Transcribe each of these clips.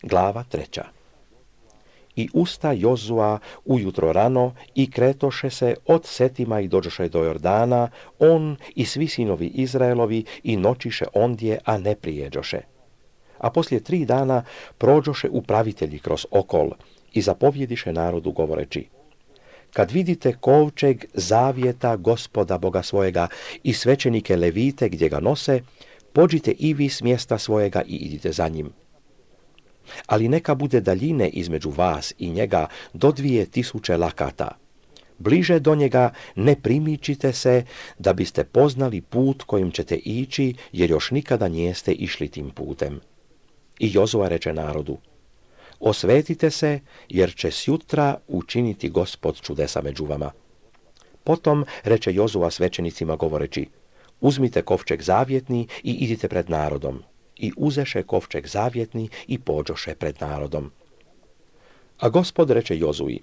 Glava 3. I usta Jozua ujutro rano i kretoše se od Setima i dođoše do Jordana, on i svi sinovi Izraelovi i noćiše ondje, a ne prijeđoše. A poslije 3 dana prođoše upravitelji kroz okol i zapovjediše narodu govoreći: kad vidite kovčeg zavjeta Gospoda Boga svojega i svećenike Levite gdje ga nose, pođite i vi s mjesta svojega i idite za njim. Ali neka bude daljine između vas i njega do 2000 lakata. Bliže do njega ne primičite se, da biste poznali put kojim ćete ići, jer još nikada nijeste išli tim putem. I Jozua reče narodu: osvetite se, jer će sjutra učiniti Gospod čudesa među vama. Potom reče Jozua svećenicima govoreći: uzmite kovčeg zavjetni i idite pred narodom. I uzeše kovčeg zavjetni i pođoše pred narodom. A Gospod reče Jozui: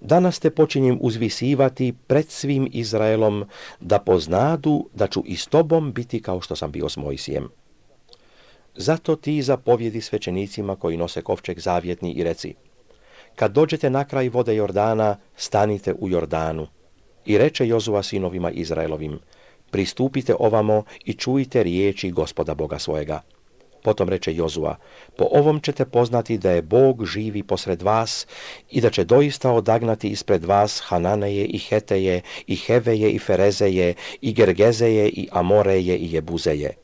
danas te počinjem uzvisivati pred svim Izraelom, da poznadu da ću i s tobom biti kao što sam bio s Mojsijem. Zato ti zapovjedi svećenicima koji nose kovčeg zavjetni i reci: kad dođete na kraj vode Jordana, stanite u Jordanu. I reče Jozua sinovima Izraelovim: pristupite ovamo i čujte riječi Gospoda Boga svojega. Potom reče Jozua: po ovom ćete poznati da je Bog živi posred vas i da će doista odagnati ispred vas Hananeje i Heteje i Heveje i Ferezeje i Gergezeje i Amoreje i Jebuzeje.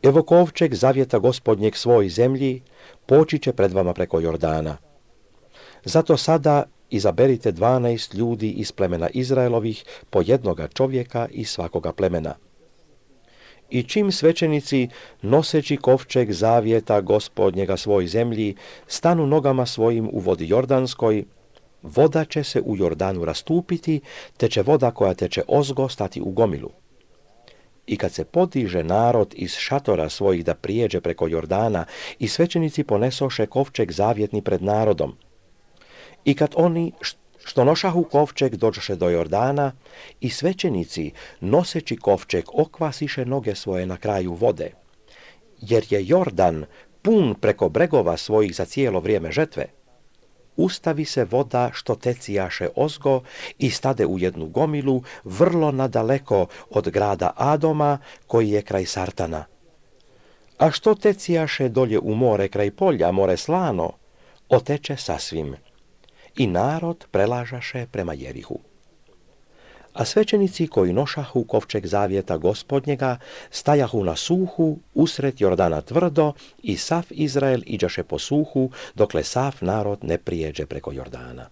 Evo kovčeg zavjeta Gospodnjeg svoj zemlji poći će pred vama preko Jordana. Zato sada izaberite 12 ljudi iz plemena Izraelovih, po jednoga čovjeka iz svakoga plemena. I čim svećenici, noseći kovčeg zavjeta Gospodnjega svoj zemlji, stanu nogama svojim u vodi Jordanskoj, voda će se u Jordanu rastupiti, te će voda koja teče ozgo stati u gomilu. I kad se podiže narod iz šatora svojih da prijeđe preko Jordana, i svećenici ponesoše kovčeg zavjetni pred narodom. I kad oni što nošahu kovčeg dođoše do Jordana, i svećenici, noseći kovčeg, okvasiše noge svoje na kraju vode, jer je Jordan pun preko bregova svojih za cijelo vrijeme žetve. Ustavi se voda što tecijaše ozgo i stade u jednu gomilu, vrlo nadaleko od grada Adoma, koji je kraj Sartana. A što tecijaše dolje u more kraj polja, more slano, oteče sasvim. I narod prelažaše prema Jerihu. A svećenici koji nošahu kovčeg zavjeta Gospodnjega stajahu na suhu usred Jordana tvrdo i sav Izrael iđaše po suhu, dokle sav narod ne prijeđe preko Jordana.